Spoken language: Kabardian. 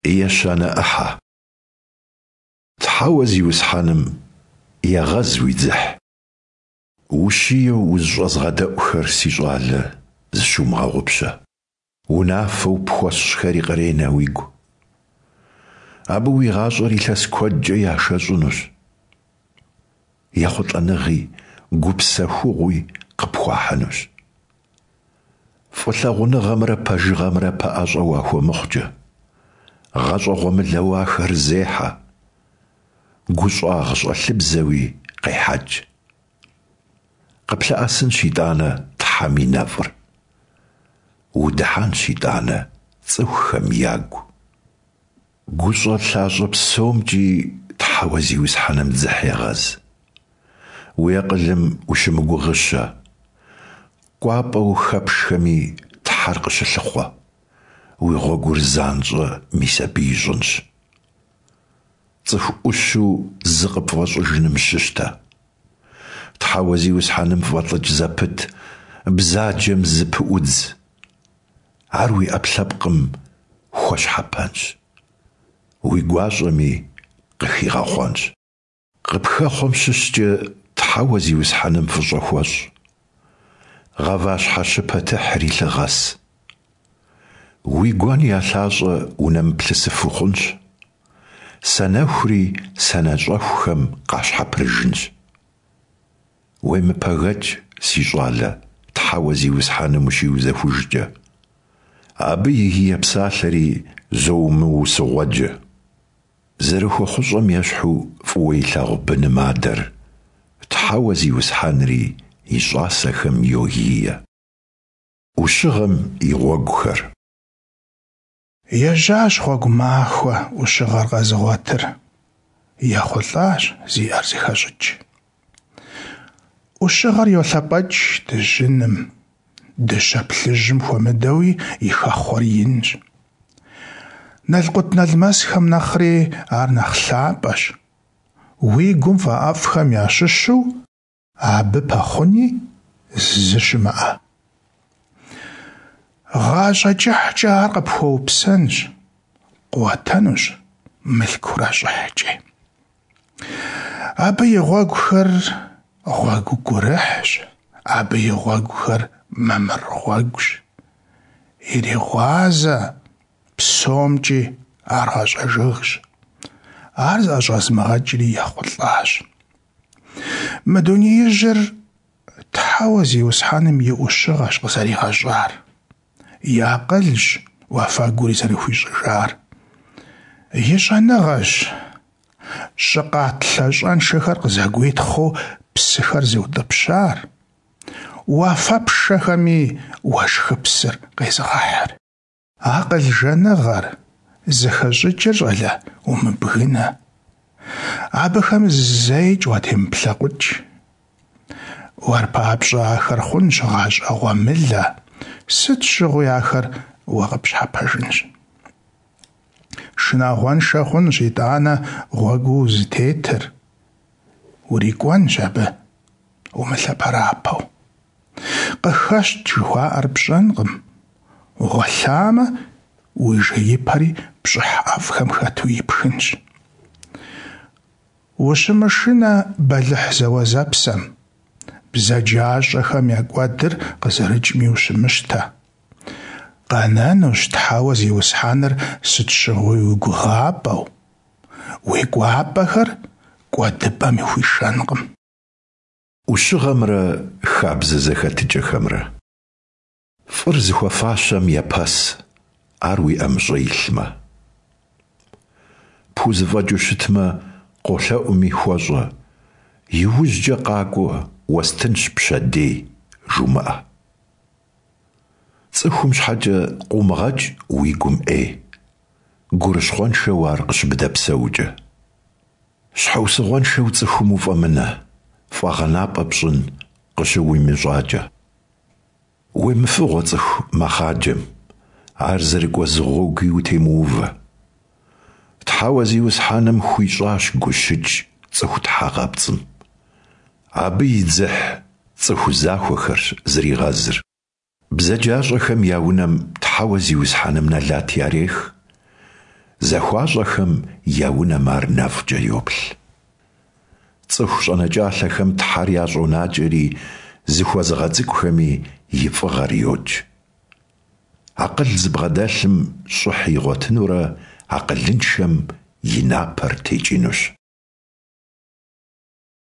Ещанэ ӏыхьэ. Тхьэуэ Зиусхьэным егъэз уи дзыхь. Ущиеу узыщӏэзгъэдэӏухэр, си щӏалэ, зыщумыгъэгъупщэ. Унафэу пхуэсщӏхэри къренэ уигу. Абы уи гъащӏэр илъэс куэдкӏэ яшэщӏынущ. Ехъулӏэныгъи гупсэхугъуи къыпхуахьынущ. Фӏылъагъуныгъэмрэ пэжыгъэмрэ пэӏэщӏэ уахуэмыхъукӏэ, гъащӏэ гъуэмылэу ахэр зехьэ, гущӏагъщӏэлъыбзэуи къехьэкӏ. Къыплъэӏэсынщ итӏанэ Тхьэм и нэфӏыр, удыхьэнщ итӏанэ цӏыхухэм ягу. Гущӏэ лъащӏэ псомкӏи Тхьэуэ Зиусхьэным дзыхь егъэз. Уи акъылым ущымыгугъыщэ, кӏуапӏэу хэпшхэми Тхьэр къыщылъыхъуэ, уи гъуэгур занщӏэ мис абы ищӏынщ. Цӏыху ӏущу зыкъыпфӏэщӏыжыным щыщтэ. Тхьэуэ Зиусхьэным фӏэлӏыкӏ зэпыт, бзаджэм зыпыӏудз. Ар уи ӏэпкълъэпкъым хуэщхьэпэнщ, уи гуащӏэми къыхигъэхъуэнщ. Къыпхэхъуэм щыщкӏэ Тхьэуэ Зиусхьэным фӏыщӏэ хуэщӏ. Гъаващхьэ щыпэ тыхьри лъыгъэс. Уи гуэн я лъащӏэ унэмыплъысыфу хъунщ. Санэхури санэщӏэхухэм къащхьэпрыжынщ. Уемыпэгэкӏ, си щӏалэ, Тхьэуэ Зиусхьэным ущиузэхужкӏэ. Абы и гие псалъэри зоумыусыгъуэджэ. Зэрыхуэхъущӏэм ещхьу фӏыуэ илъагъу быным адэр, Тхьэуэ Зиусхьэнри и щӏасэхэм йогие. ӏущыгъэм и гъуэгухэр. Ежьащ гъуэгу махуэ ӏущыгъэр къэзыгъуэтыр, ехъулӏащ зиӏэр зыхэщӏыкӏ. Ӏущыгъэр йолъэпӏэкӏ дыжьыным, дыщэ плъыжьым хуэмыдэуи и хэхъуэр инщ. Налкъутналмэсхэм нэхъри ар нэхъ лъапӏэщ. Уи гум фӏэӏэфӏхэм ящыщу абы пэхъуни зы щымыӏэ. Гъащӏэ кӏыхькӏэ ар къыпхуэупсэнщ, къуатэнущ мылъкурэ щӏыхькӏи. Абы и гъуэгухэр гъуэгу гурыхьщ, абы и гъуэгухэр мамыр гъуэгущ. Иригъуазэ псомкӏи ар гъащӏэ жыгщ. Ар зыӏэщӏэзмыгъэкӏри ехъулӏащ. Мы дунеижьыр Тхьэуэ Зиусхьэным и ӏущыгъэщ къызэригъэщӏар. И акъылщ уафэгури зэрыхуищӏыжар. И щӏэныгъэщ щӏы къат лъащӏэншэхэр къызэгуитхъыу псыхэр зыутӏыпщар, уафэпшэхэми уэшхыпсыр къезыгъэхьыр. Акъыл жаныгъэр, зэхэщӏыкӏыр, щӏалэ, умыбгынэ. Абыхэм зэикӏ уатемыплъэкъукӏ. Уэр папщӏэ ахэр хъунщ гъащӏэ гъуэмылэ, сыт щыгъуи ахэр уэ къыпщхьэпэжынщ. Шынагъуэншэ хъунщ итӏанэ гъуэгуу узытетыр. Урикӏуэнщ абы, умылъэпэрапэу. Къыхэщт жыхуаӏэр пщӏэнкъым. Угъуэлъамэ, уи жеипэри пщӏыхь ӏэфӏхэм хэту ипхынщ. Ущымышынэ бэлыхь зэуэзэпсэм, бзаджащӏэхэм я кӏуэдыр къызэрыкӏми ущымыщтэ. Къэнэнущ Тхьэуэ Зиусхьэныр сыт щыгъуи уи гугъапӏэу, уи кӏуапӏэхэр кӏуэдыпӏэм хуишэнкъым. Ӏущыгъэмрэ хабзэ зэхэтыкӏэхэмрэ. Фӏыр зыхуэфащэм епэс, ар уи ӏэмыщӏэ илъмэ. Пхузэфӏэкӏыу щытмэ, къолъэӏуми хуэщӏэ, иужькӏэ къакӏуэ, уэстынщ пщэдей, жумыӏэ. Цӏыхум щхьэкӏэ къыумыгъэкӏ уи гум ӏей, гурыщхъуэншэу ар къыщыбдэпсэукӏэ. Щхьэусыгъуэншэу цӏыхум уфӏэмынэ, фӏэгъэнапӏэ пщӏын къыщыуимыщӏакӏэ. Уемыфыгъуэ цӏыху мэхъаджэм, ар зэрыкӏуэ зы гъуэгуи утемыувэ. Тхьэуэ Зиусхьэным хуищӏащ гущыкӏ цӏыху тхьэгъэпцӏым. Абы и дзыхь цӏыху захуэхэрщ зригъэзыр. Бзаджащӏэхэм я унэм Тхьэуэ Зиусхьэным нэлат ярех. Захуащӏэхэм я унэм ар нэфӏкӏэ йоплъ. Цӏыху щӏэнэкӏалъэхэм Тхьэр ящӏонакӏэри, зыхуэзыгъэцӏыкӏухэми и фӏыгъэр йокӏ. Акъыл зыбгъэдэлъым щӏыхь игъуэтынурэ, акъылыншэм и напэр текӏынущ.